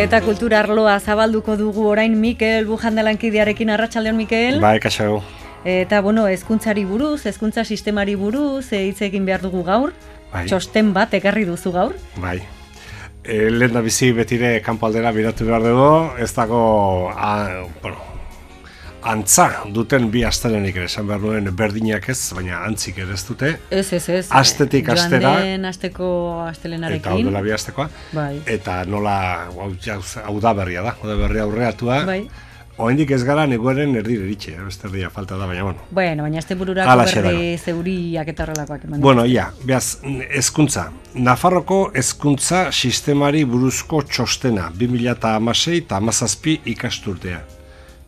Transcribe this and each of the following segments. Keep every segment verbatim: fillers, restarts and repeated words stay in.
Eta kultura arloa zabalduko dugu orain Mikel Bujandalankidearekin. Arratsaldeon, Mikel. Bai, kaixo. Eta, bueno, hezkuntzari buruz, hezkuntza sistemari buruz, hitz egin behar dugu gaur. Bai. Txosten bat ekarri duzu gaur. Bai. E, lehen da bizi betire kanpo aldera biratu behar dugu, ez dago, a, bueno, antza duten bi astelenik ere, esan behar nuen berdinak ez, baina antzik ere ez dute. Ez, ez, ez. Astetik astera. Joan den asteko astelenarekin. Eta hau dela bi astekoa. Bai. Eta nola, hau, hau da berria da, hau da berria aurreatua. Bai. Oendik ez gara neguaren erdire eritxe, beste erdia falta da, baina bueno. Bueno, baina este bururako berri zeuriak eta horrelakoak eman. Bueno, ia, behaz, hezkuntza. Nafarroko hezkuntza sistemari buruzko txostena, bi mila hamasei eta hamazazpi ikasturtea.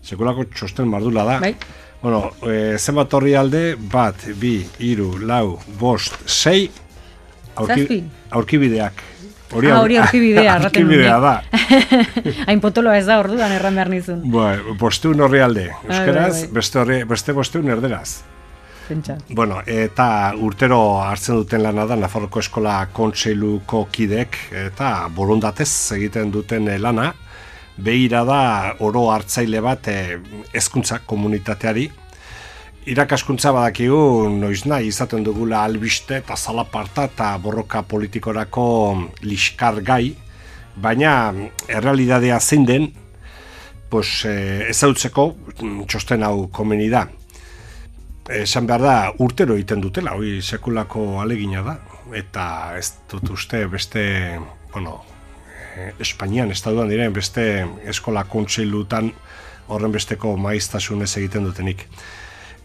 Sekulako txosten mardula da. Bai. Bueno, e, zenbat horri alde, bat, bi, hiru, lau, bost, sei, aurki, aurkibideak. Hori ah, hori aurkibidea, aurkibidea da. Hain potoloa ez da orduan erran behar nizun. Bai, bosteun horri alde. Euskeraz, beste, horri, beste bosteun erderaz. Pentsa. Bueno, eta urtero hartzen duten lana da Nafarroko Eskola Kontseiluko kidek eta borondatez egiten duten lana. Begira da oro hartzaile bat hezkuntza komunitateari. Irakaskuntza badakigu noiz nahi izaten dugula albiste eta zalaparta eta borroka politikorako liskar gai, baina errealidadea zein den, pues, eh, ezautzeko txosten hau komeni da. Esan behar da, urtero egiten dutela, hori sekulako alegina da, eta ez dut uste beste, bueno, eh, Espainian, estatuan diren beste eskola kontseilutan horren besteko maiztasunez egiten dutenik.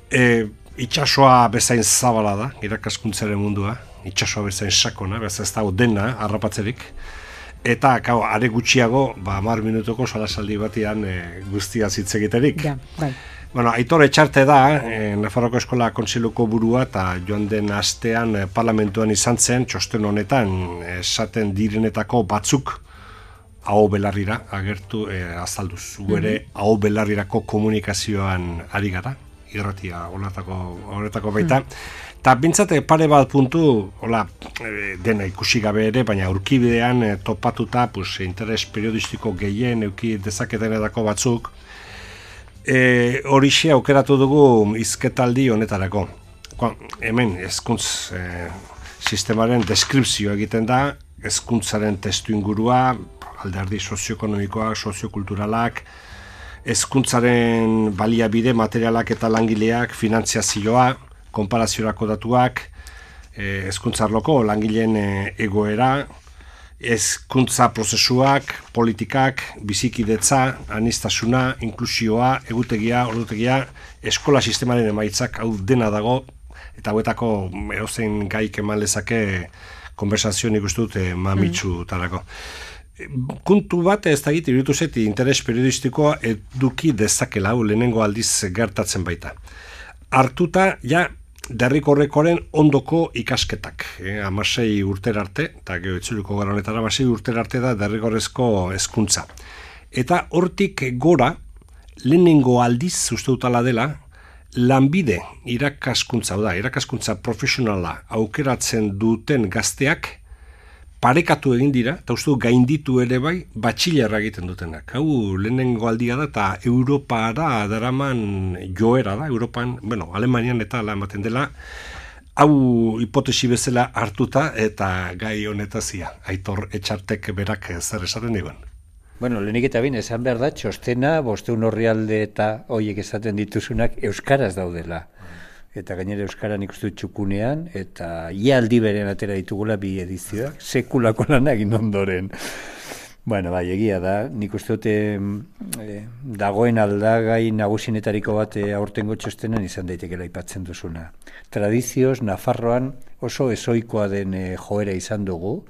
E, itxasoa bezain zabala da, irakaskuntzaren mundua, itxasoa bezain sakona, bez ez dago dena, harrapatzerik, eta kau, are gutxiago, ba, hamar minutoko solasaldi batian e, guztia hitz egiterik. Ja, bai. Bueno, Aitor Etxarte da, e, Nafarroko Eskola Kontseiluko burua, eta joan den astean e, parlamentuan izan zen, txosten honetan, esaten direnetako batzuk, aho belarrira, agertu, e, azalduz, guere, mm-hmm. aho belarrirako komunikazioan ari gara, irratia horretako, horretako baita. Eta mm. bintzate pare bat puntu, hola, dena ikusi gabe ere, baina aurkibidean e, topatuta, pues, interes periodistiko gehien euki dezaketenetako batzuk, e, horixe aukeratu dugu hizketaldi honetarako. Ko, hemen, hezkuntz e, sistemaren deskripzio egiten da, hezkuntzaren testu ingurua, alderdi sozioekonomikoak, soziokulturalak, hezkuntzaren baliabide materialak eta langileak, finantziazioa, konparaziorako datuak, hezkuntzarloko langileen egoera, hezkuntza prozesuak, politikak, bizikidetza, aniztasuna, inklusioa, egutegia, ordutegia, eskola sistemaren emaitzak hau dena dago, eta hauetako edozein gaik eman lezake konversazio nik uste dut mamitsu tarako. Kuntu bat ez da egite iruditu zeti interes periodistikoa eduki dezakela, lehenengo aldiz gertatzen baita. Hartuta, ja, derrikorrekoaren ondoko ikasketak. Eh, amasei urter arte, eta geho itzuliko gara honetara, amasei urter arte da derrikorrezko hezkuntza. Eta hortik gora, lehenengo aldiz, uste dutala dela, lanbide irakaskuntza, da, irakaskuntza profesionala aukeratzen duten gazteak, parekatu egin dira, eta uste du gainditu ere bai, batxilerra egiten dutenak. Hau lehenengo aldia da, eta Europara daraman joera da, Europan, bueno, Alemanian eta ala ematen dela, hau hipotesi bezala hartuta, eta gai honetazia, Aitor Etxartek berak zer esaten digun. Bueno, lehenik eta bin, esan behar da, txostena, bosteun orrialde eta hoiek esaten dituzunak euskaraz daudela. Eta gainera euskara nik uste txukunean, eta ia aldi beren atera ditugula bi edizioak, sekulako lan egin ondoren. Bueno, bai, egia da, nik uste dute e, dagoen aldagai nagusinetariko bat aurtengo txostenan izan daitekela aipatzen duzuna. Tradizioz, Nafarroan oso ezoikoa den e, joera izan dugu,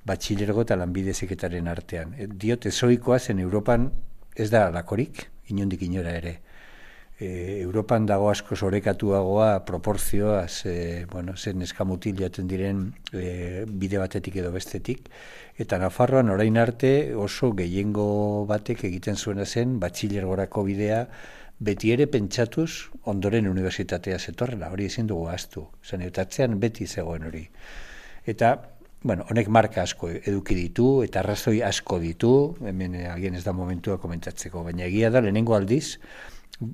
batxilergo eta lanbide heziketaren artean. E, diot ezoikoa zen Europan ez da alakorik, inondik inora ere. E, Europan dago asko sorekatuagoa proporzioaz, e, bueno, zen eskamutil jaten diren e, bide batetik edo bestetik, eta Nafarroan orain arte oso gehiengo batek egiten zuena zen batxilergorako bidea beti ere pentsatuz ondoren unibertsitatea zetorrela, hori ezin dugu ahaztu, zen eta atzean beti zegoen hori. Eta bueno, honek marka asko eduki ditu, eta arrazoi asko ditu, hemen agian ez da momentua komentatzeko, baina egia da lehenengo aldiz,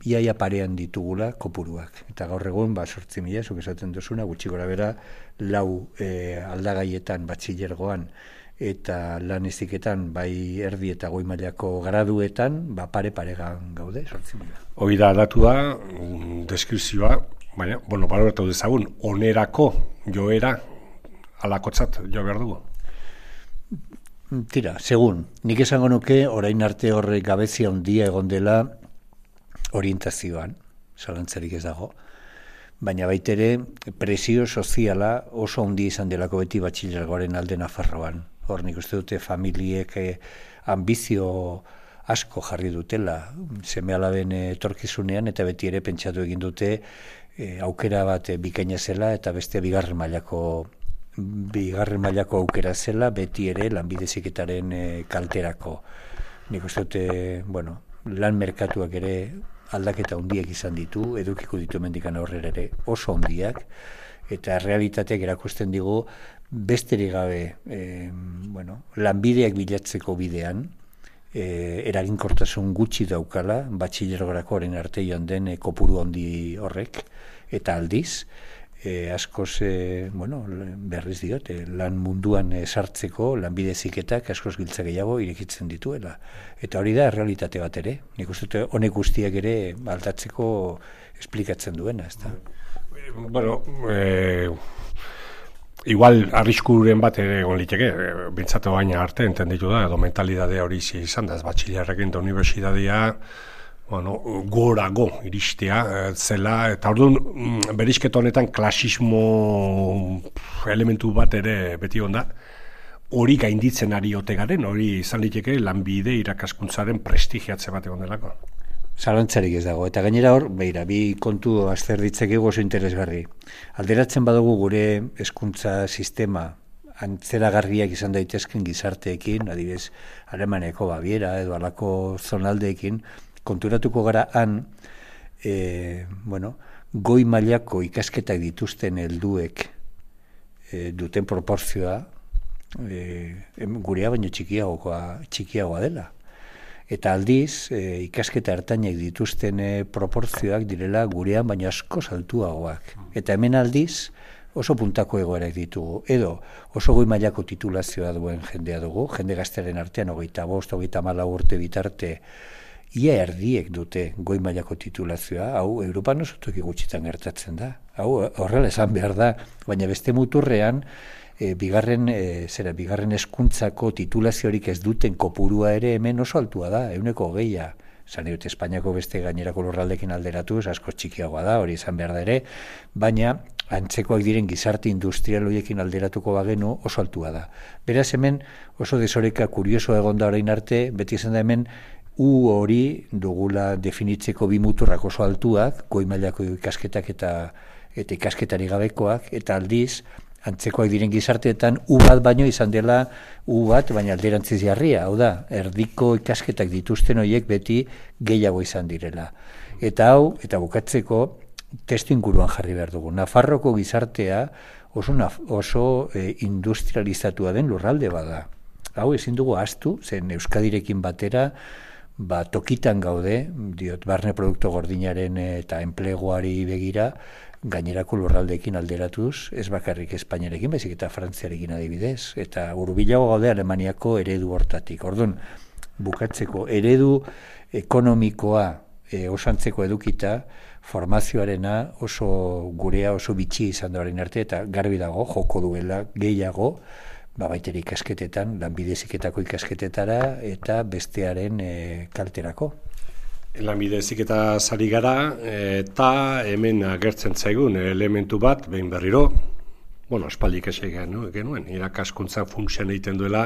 iaia parean ditugula kopuruak. Eta gaur egun, ba, sortzi mila, zuk esaten duzuna, gutxi gora bera, lau e, aldagaietan, batxilergoan, eta lan eziketan, bai erdi eta goi mailako graduetan, ba, pare-paregan gaude, sortzi mila. Hoi da datua, deskripzioa, baina, bueno, baloratu dezagun, onerako joera, alakotzat jo behar dugu? Tira, segun, nik esango nuke orain arte horrek gabezia handia egon dela orientazioan, zalantzarik ez dago, baina baitere presio soziala oso handi izan delako beti batxilergoaren alde Nafarroan. Hor nik uste dute familiek eh, ambizio asko jarri dutela, seme alaben etorkizunean, eta beti ere pentsatu egin dute eh, aukera bat eh, bikaina zela, eta beste bigarren mailako bigarren mailako aukera zela, beti ere lanbide heziketaren e, kalterako. Nik uste dute, bueno, lan merkatuak ere aldaketa handiak izan ditu, edukiko ditu mendikan aurrera ere oso handiak, eta realitateak erakusten digu besterik gabe e, bueno, lanbideak bilatzeko bidean, e, eraginkortasun gutxi daukala, batxilergorako orain arte joan den e, kopuru handi horrek, eta aldiz, E, askoz, e, bueno, berriz diot, e, lan munduan e, sartzeko lanbide heziketak askoz giltza gehiago irekitzen dituela. Eta hori da realitate bat ere. Nik uste honek guztiak ere aldatzeko esplikatzen duena, ezta? Bueno, e, igual arriskuren bat ere egon liteke, bintzatu baina arte, entenditu da, edo mentalidade hori izan da, ez batxilerrekin da unibertsitatea, bueno, gorago iristea zela, eta orduan berizketa honetan klasismo elementu bat ere beti onda, hori gainditzen ari ote garen, hori izan liteke lanbide irakaskuntzaren prestigiatze bat egon delako. Zalantzarik ez dago, eta gainera hor, beira, bi kontu azter ditzakegu oso interesgarri. Alderatzen badugu gure hezkuntza sistema antzeragarriak izan daitezken gizarteekin, adibidez, Alemaneko Baviera edo alako zonaldeekin, konturatuko gara han, e, bueno, goi mailako ikasketak dituzten helduek e, duten proporzioa e, gurea baino txikiagoa, txikiagoa dela. Eta aldiz, e, ikasketa ertainak dituzten e, proporzioak direla gurean baino asko altuagoak. Eta hemen aldiz, oso puntako egoerak ditugu. Edo oso goi mailako titulazioa duen jendea dugu, jende gaztearen artean, hogeita bost, hogeita hamalau urte bitarte, ia erdiek dute goi mailako titulazioa, hau Europan oso toki gutxitan gertatzen da. Hau horrela esan behar da, baina beste muturrean, e, bigarren, e, zera, bigarren hezkuntzako titulaziorik ez duten kopurua ere hemen oso altua da, ehuneko hogeia. Zan dut, Espainiako beste gainerako lurraldekin alderatuz, asko txikiagoa da, hori izan behar da ere, baina antzekoak diren gizarte industrial horiekin alderatuko bagenu oso altua da. Beraz hemen oso desoreka kurioso egon da orain arte, beti izan da hemen U hori dugula definitzeko bi muturrak oso altuak, goi mailako ikasketak eta, eta ikasketari gabekoak, eta aldiz, antzekoak diren gizarteetan, U bat baino izan dela U bat, baina alderantziz jarria, hau da, erdiko ikasketak dituzten horiek beti gehiago izan direla. Eta hau, eta bukatzeko, testu inguruan jarri behar dugu. Nafarroko gizartea oso, oso e, industrializatua den lurralde bada. Hau ezin dugu ahaztu, zen Euskadirekin batera, ba, tokitan gaude, diot, barne produktu gordinaren eta enpleguari begira, gainerako lurraldeekin alderatuz, ez bakarrik Espainiarekin, baizik eta Frantziarekin adibidez, eta hurbilago gaude Alemaniako eredu hortatik. Orduan, bukatzeko eredu ekonomikoa e, osantzeko edukita, formazioarena oso gurea oso bitxi izan da orain arte, eta garbi dago, joko duela gehiago, ba, baiteri ikasketetan, lanbide heziketako ikasketetara eta bestearen e, kalterako. Lanbide heziketa sari gara eta hemen agertzen zaigun elementu bat, behin berriro, bueno, espaldik esegea, no? Genuen, irakaskuntza funtzioan egiten duela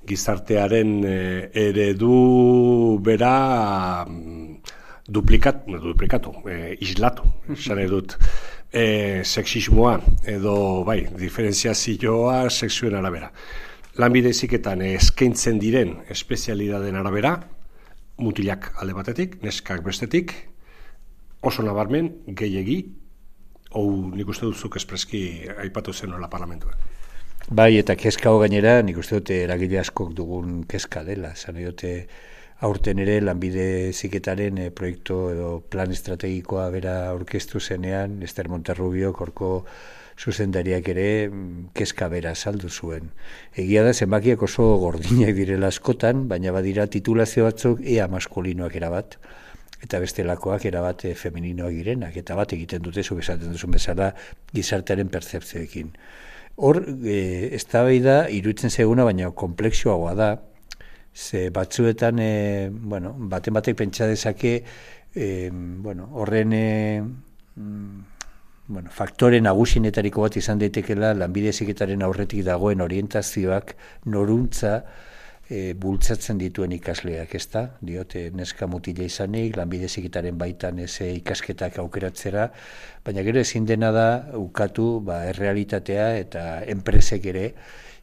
gizartearen e, eredu bera duplikat, no, duplikatu, e, islatu, esan edut. E, sexismoa edo bai, diferentziazioa sexuen arabera. Lanbide heziketan eskaintzen diren espezialidaden arabera, mutilak alde batetik, neskak bestetik, oso nabarmen gehiegi, hau nik uste duzuk espreski aipatu zen nola parlamentuan. Bai, eta kezka ho gainera, nik uste dute eragile askok dugun kezka dela. Zan dute aurten ere lanbide ziketaren e, proiektu edo plan estrategikoa bera aurkeztu zenean, Ester Monterrubio, korko zuzendariak ere kezka bera saldu zuen. Egia da, zenbakiak oso gordinak direla askotan, baina badira titulazio batzuk ea maskulinoak erabat, eta bestelakoak erabat e, femeninoak girenak, eta bat egiten dute, zuk esaten duzun bezala, gizartearen pertzepzioekin. Hor, e, eztabaida iruditzen zaiguna, baina konplexuagoa da, ze batzuetan, e, bueno, baten batek pentsa dezake, e, bueno, horren e, bueno, faktore nagusinetariko bat izan daitekela lanbide heziketaren aurretik dagoen orientazioak noruntza e, bultzatzen dituen ikasleak, ezta? Diote neska mutila izanik, lanbide heziketaren baitan ez ikasketak aukeratzera, baina gero ezin dena da ukatu ba, errealitatea eta enpresek ere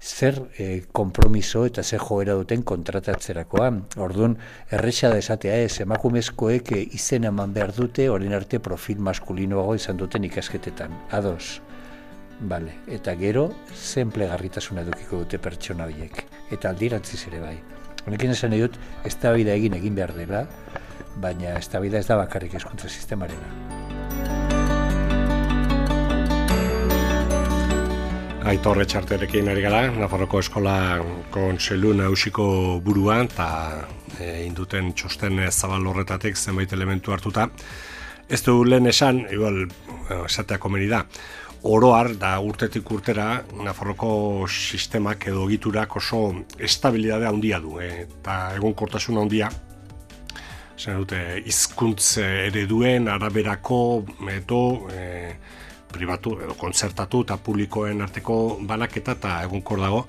zer e, konpromiso eta zer joera duten kontratatzerakoa. Orduan, erresa da esatea ez, emakumezkoek e, izen eman behar dute, orain arte profil maskulinoago izan duten ikasketetan. Ados. Vale. Eta gero, zen plegarritasuna edukiko dute pertsona horiek. Eta aldirantziz ere bai. Honekin esan nahi dut, eztabaida egin egin behar dela, baina eztabaida ez da bakarrik hezkuntza sistemarena. Aitor Etxarterekin ari gara, Nafarroko Eskola Kontseilu Nagusiko burua, eta e, induten txosten zabal horretatik zenbait elementu hartuta. Ez du lehen esan, igual, esatea komeni da, oroar da urtetik urtera Nafarroko sistemak edo egiturak oso estabilidadea handia du, e, eta egonkortasun handia, zen dute, hizkuntz ereduen araberako edo e, pribatu edo kontzertatu eta publikoen arteko banaketa eta egonkor dago,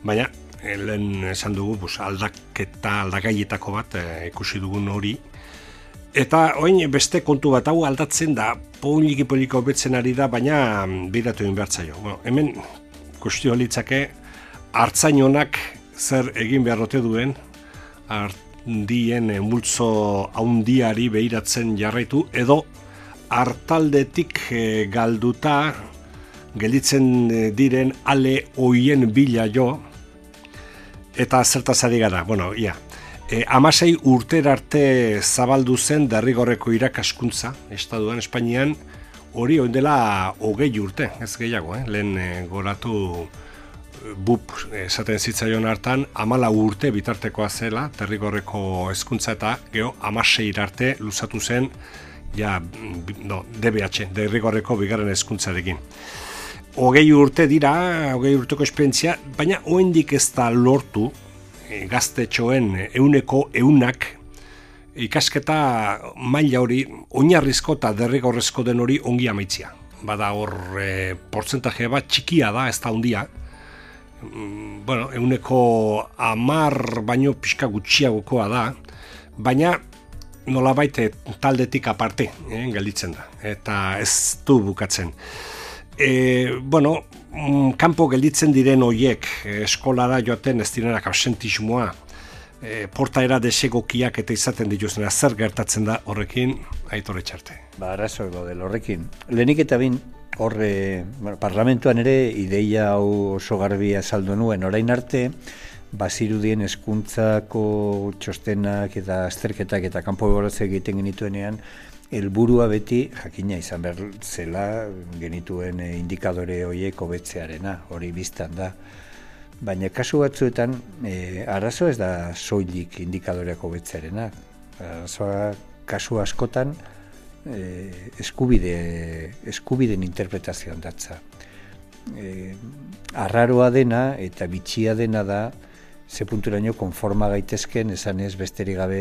baina lehen esan dugu bus, aldaketa, aldagaietako bat e, ikusi dugun hori. Eta orain beste kontu bat hau aldatzen da, poliki-poliki hobetzen ari da, baina biratu egin behar zaio. Bueno, hemen kustio litzake hartzain honak zer egin beharrote duen, ardien multzo haundiari behiratzen jarraitu, edo hartaldetik e, galduta gelditzen diren ale hoien bila jo, eta zertaz ari gara, bueno, ia, e, amasei urter arte zabaldu zen derrigorreko irakaskuntza, Estaduan, Espainian, hori oin dela hogei urte, ez gehiago, eh? Lehen e, goratu B U P esaten zitzaion hartan, amala urte bitartekoa zela, derrigorreko hezkuntza eta geho amasei arte luzatu zen, ja, no, D B H, derrigorreko bigarren hezkuntzarekin. Hogei urte dira, hogei urteko esperientzia, baina oraindik ez da lortu e, gaztetxoen ehuneko ehunak ikasketa maila hori, oinarrizko eta derrigorrezko den hori ongi amaitzia. Bada hor e, portzentaje bat txikia da, ez da handia. Mm, bueno, ehuneko hamar baino pixka gutxiagokoa da, baina nolabait taldetik aparte, eh, gelditzen da, eta ez du bukatzen. E, bueno, kanpo gelditzen diren hoiek eskolara joaten ez direnak absentismoa, e, portaera desegokiak eta izaten dituzena, zer gertatzen da horrekin, Aitor Etxarte? Ba, arazo del horrekin. Lehenik eta bin, horre, bueno, parlamentuan ere ideia hau oso garbi azaldu nuen, orain arte, bazirudien hezkuntzako txostenak eta azterketak eta kanpo ebaluazio egiten genituenean, helburua beti jakina izan behar zela genituen indikadore horiek hobetzearena, hori biztan da. Baina kasu batzuetan, e, arazo ez da soilik indikadoreak hobetzearena. Arazoa kasu askotan e, eskubide, eskubiden interpretazioan datza. E, arraroa dena eta bitxia dena da, ze punturaino konforma gaitezken esan ez besterik gabe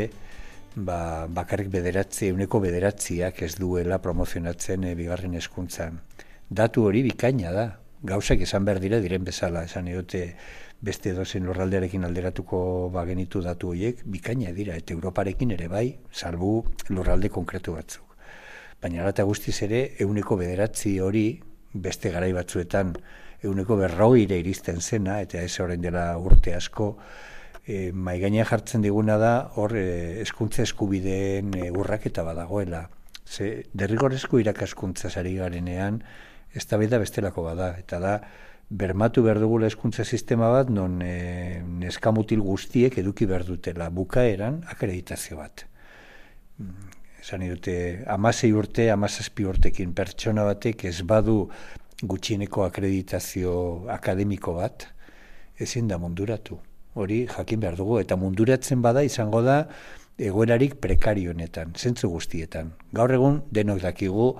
ba, bakarrik bederatzi, euneko bederatziak ez duela promozionatzen e, bigarren hezkuntzan. Datu hori bikaina da, gauzak esan behar dira diren bezala, esan edote beste dozen lurraldearekin alderatuko bagenitu datu horiek, bikaina dira, eta Europarekin ere bai, salbu lurralde konkretu batzuk. Baina ala eta guztiz ere, euneko bederatzi hori beste garai batzuetan euneko berrogeire iristen zena, eta ez orain dela urte asko, e, maigainean jartzen diguna da, hor e, hezkuntza eskubideen e, urraketa badagoela. Ze derrigorrezko irakaskuntza sari garenean, eztabaida bestelako bada, eta da, bermatu behar dugula hezkuntza sistema bat, non e, neskamutil guztiek eduki behar dutela bukaeran akreditazio bat. Esan dute, amasei urte, amazazpi urtekin pertsona batek ez badu gutxieneko akreditazio akademiko bat, ezin da munduratu. Hori jakin behar dugu, eta munduratzen bada izango da egoerarik prekarionetan, zentzu guztietan. Gaur egun denok dakigu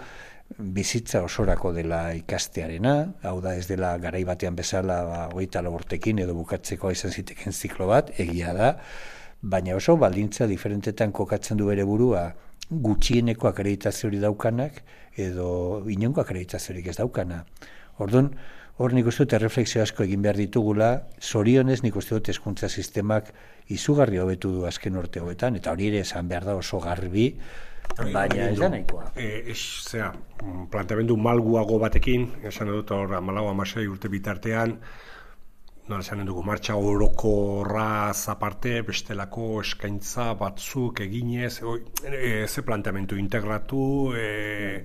bizitza osorako dela ikastearena, hau da ez dela garai batean bezala ba, hogeita lau urtekin edo bukatzeko izan ziteken ziklo bat, egia da, baina oso baldintza diferentetan kokatzen du bere burua gutxieneko akreditaziorik daukanak edo inongo akreditaziorik ez daukana. Orduan, hor nik uste dut erreflexio asko egin behar ditugula, zorionez nik uste dut hezkuntza sistemak izugarri hobetu du azken urte hobetan, eta hori ere esan behar da oso garbi, baina ez da nahikoa. E, zera, planteamendu malguago batekin, esan dut hor amalau amasei urte bitartean, nola esan dugu, martxa orokorra aparte, bestelako eskaintza batzuk eginez, e, ze planteamendu integratu, e,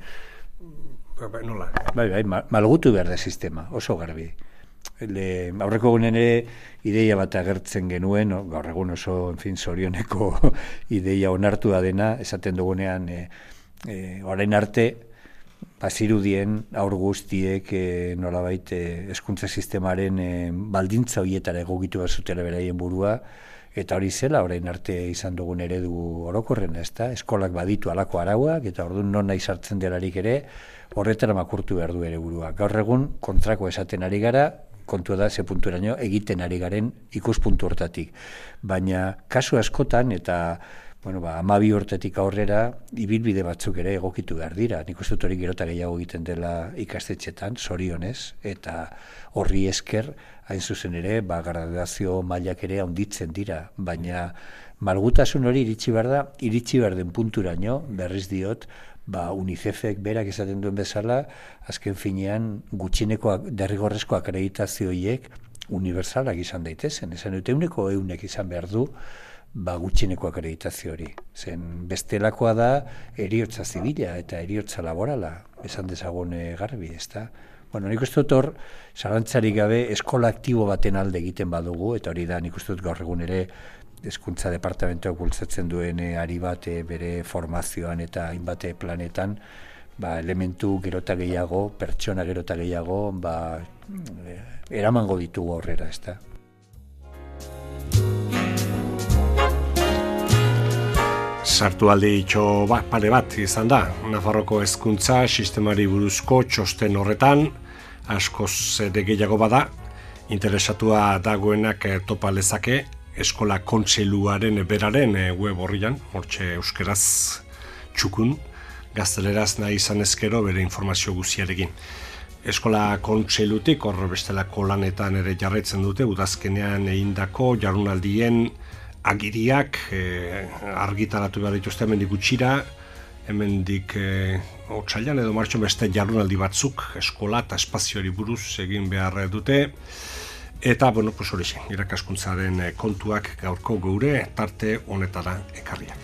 nola? Bai, bai, malgutu behar da sistema, oso garbi. Le, aurreko gunen ere ideia bat agertzen genuen, no? Gaur egun oso, en fin, zorioneko ideia onartu da dena, esaten dugunean, e, e, orain arte, bazirudien aur guztiek e, nolabait hezkuntza sistemaren e, baldintza horietara egokitu bazutela beraien burua, eta hori zela orain arte izan dugun eredu orokorren, ezta? Eskolak baditu halako arauak, eta orduan non nahi sartzen delarik ere, horretara makurtu behar du ere burua. Gaur egun kontrako esaten ari gara, kontua da ze punturaino egiten ari garen ikuspuntu hortatik. Baina kasu askotan eta bueno, ba, hamabi urtetik aurrera ibilbide batzuk ere egokitu behar dira. Nik uste dut hori gero eta gehiago egiten dela ikastetxetan, zorionez, eta horri esker, hain zuzen ere, ba, graduazio mailak ere handitzen dira. Baina malgutasun hori iritsi behar da, iritsi behar den punturaino, berriz diot, ba, UNICEFek berak esaten duen bezala, azken finean gutxineko derrigorrezko akreditazioiek unibertsalak izan daitezen. Esan dute euneko eunek izan behar du, ba, gutxineko akreditazio hori. Zen bestelakoa da heriotza zibila eta heriotza laborala, esan dezagun garbi, ezta? Bueno, nik uste dut hor, zalantzarik gabe eskola aktibo baten alde egiten badugu, eta hori da nik uste dut gaur egun ere hezkuntza departamentoak bultzatzen duen ari bat bere formazioan eta hainbat planetan, ba, elementu gerota gehiago, pertsona gerota gehiago, ba, eramango ditugu aurrera, ezta? Sartu alde itxo ba, pare bat izan da, Nafarroko hezkuntza sistemari buruzko txosten horretan, askoz ere gehiago bada, interesatua dagoenak topa lezake, eskola kontseiluaren beraren web horrian, hortxe euskeraz txukun, gazteleraz nahi izan ezkero bere informazio guziarekin. Eskola kontseilutik hor bestelako lanetan ere jarraitzen dute, udazkenean egindako jardunaldien agiriak e, argitaratu behar dituzte hemendik gutxira, hemendik e, otsailean edo martxon beste jardunaldi batzuk eskola eta espazioari buruz egin behar dute. Eta, bueno, pues horixe, irakaskuntzaren kontuak gaurko geure tarte honetara ekarriak.